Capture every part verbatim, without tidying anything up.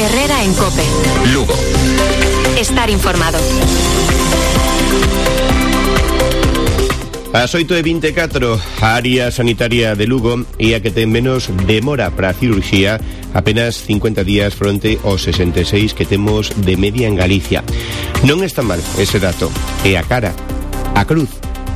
Herrera en COPE. Lugo. Estar informado. As oito e vinte e catro, a área sanitaria de Lugo é a que ten menos demora para a cirurxía, apenas cincuenta días fronte aos sesenta e seis que temos de media en Galicia. Non está mal ese dato, é a cara, a cruz,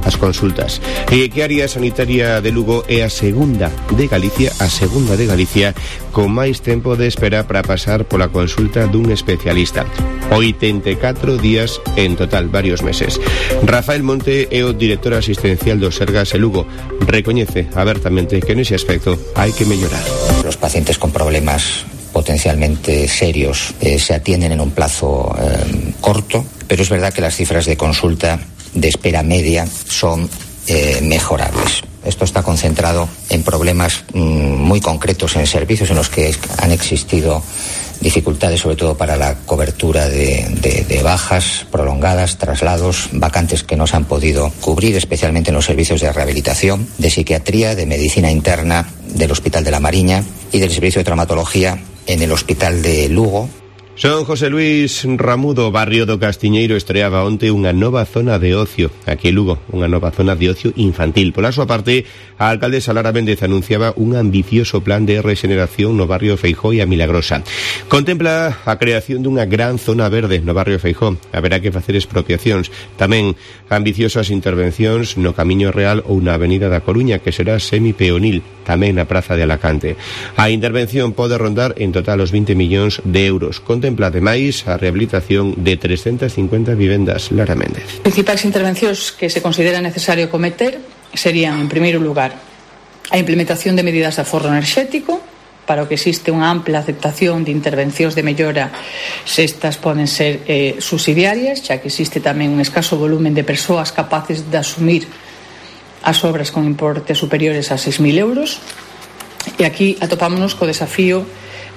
as consultas. E que a área sanitaria de Lugo é a segunda de Galicia, a segunda de Galicia, con máis tempo de espera para pasar pola consulta dun especialista. oitenta e catro días en total, varios meses. Rafael Monte é o director asistencial do Sergas e Lugo. Recoñece abertamente que nese aspecto hai que mellorar. Los pacientes con problemas potencialmente serios eh, se atienden en un plazo eh, corto, pero es verdad que las cifras de consulta de espera media son eh, mejorables. Esto está concentrado en problemas mmm, muy concretos en servicios en los que han existido dificultades, sobre todo para la cobertura de, de, de bajas prolongadas, traslados, vacantes que no se han podido cubrir, especialmente en los servicios de rehabilitación, de psiquiatría, de medicina interna del Hospital de la Mariña y del servicio de traumatología en el Hospital de Lugo. Son José Luis Ramudo, barrio do Castiñeiro, estreaba onte unha nova zona de ocio aquí en Lugo, unha nova zona de ocio infantil. Pola súa parte, a alcaldesa Lara Méndez anunciaba un ambicioso plan de regeneración no barrio Feijóo e a Milagrosa. Contempla a creación dunha gran zona verde no barrio Feijóo. Haberá que facer expropiacións. Tamén ambiciosas intervencións no Camiño Real ou na Avenida da Coruña, que será semipeonil, tamén na Praza de Alacante. A intervención pode rondar en total os vinte millóns de euros. Contempla ademais a rehabilitación de trescentas cincuenta vivendas. Lara Méndez. As principais intervencións que se considera necesario cometer serían, en primeiro lugar, a implementación de medidas de aforro enerxético, para o que existe unha ampla aceptación de intervencións de mellora se estas poden ser eh, subsidiarias, xa que existe tamén un escaso volumen de persoas capaces de asumir as obras con importes superiores a seis mil euros. E aquí atopámonos co desafío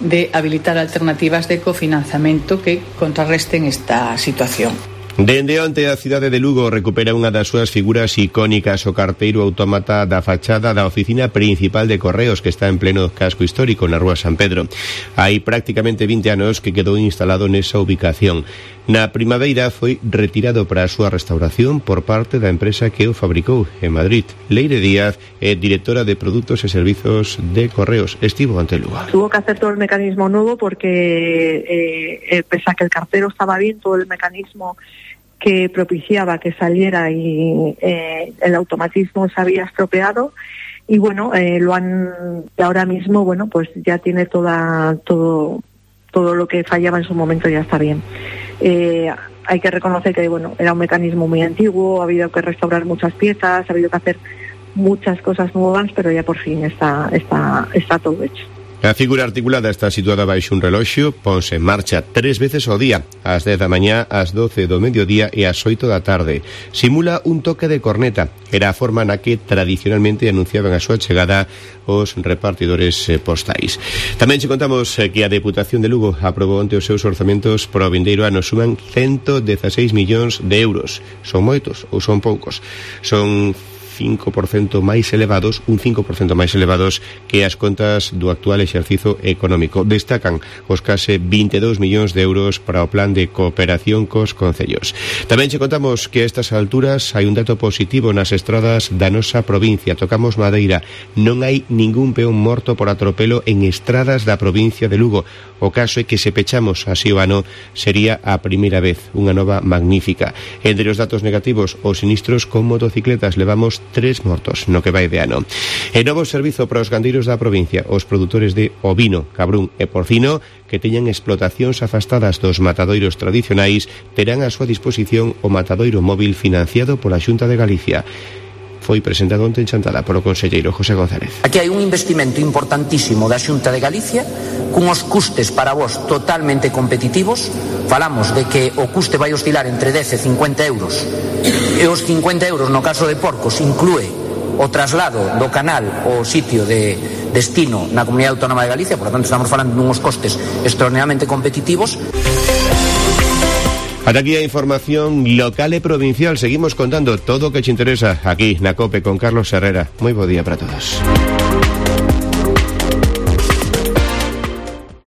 de habilitar alternativas de cofinanciamento que contrarresten esta situación. Dende onte a cidade de Lugo recupera unha das súas figuras icónicas, o carteiro autómata da fachada da oficina principal de Correos, que está en pleno casco histórico na rúa San Pedro. Hai prácticamente vinte anos que quedou instalado nesa ubicación. Na primavera foi retirado para a súa restauración por parte da empresa que o fabricou en Madrid. Leire Díaz é directora de Produtos e Servizos de Correos. Estivo ante Lugo. Tuvo que hacer todo el mecanismo nuevo porque eh, eh, pese a que el cartero estaba bien, todo el mecanismo que propiciaba que saliera y eh, el automatismo se había estropeado y bueno, eh, lo han ahora mismo, bueno, pues ya tiene toda todo todo lo que fallaba en su momento ya está bien. Eh, hay que reconocer que bueno, era un mecanismo muy antiguo, ha habido que restaurar muchas piezas, ha habido que hacer muchas cosas nuevas, pero ya por fin está está está todo hecho. A figura articulada está situada baixo un reloxo, ponse en marcha tres veces ao día, ás dez da mañá, ás doce do mediodía e ás oito da tarde. Simula un toque de corneta. Era a forma na que tradicionalmente anunciaban a súa chegada os repartidores postais. Tamén che contamos que a Deputación de Lugo aprobou onte os seus orzamentos para o vindeiro ano, suman ciento dieciséis millóns de euros. Son moitos ou son poucos? Son cinco por cento máis elevados, un cinco por cento máis elevados que as contas do actual exercizo económico. Destacan os case vinte e dous millóns de euros para o plan de cooperación cos concellos. Tamén che contamos que a estas alturas hai un dato positivo nas estradas da nosa provincia. Tocamos madeira. Non hai ningún peón morto por atropelo en estradas da provincia de Lugo. O caso é que se pechamos así o ano sería a primeira vez, unha nova magnífica. Entre os datos negativos, os sinistros con motocicletas, levamos tres mortos no que vai de ano. E novo servizo para os gandeiros da provincia, os produtores de ovino, cabrún e porcino que teñan explotacións afastadas dos matadoiros tradicionais terán a súa disposición o matadoiro móvil financiado pola Xunta de Galicia. Foi presentado onte en Chantada polo conselleiro José González. Aquí hai un investimento importantísimo da Xunta de Galicia cunhos custes para vos totalmente competitivos. Falamos de que o custe vai oscilar entre dez e cincuenta euros e os cincuenta euros no caso de porcos inclúe o traslado do canal ao sitio de destino na Comunidade Autónoma de Galicia. Por lo tanto, estamos falando de unos costes extraordinariamente competitivos. Ata aquí a información local e provincial. Seguimos contando todo o que te interesa aquí na COPE con Carlos Herrera. Moi bo día para todos.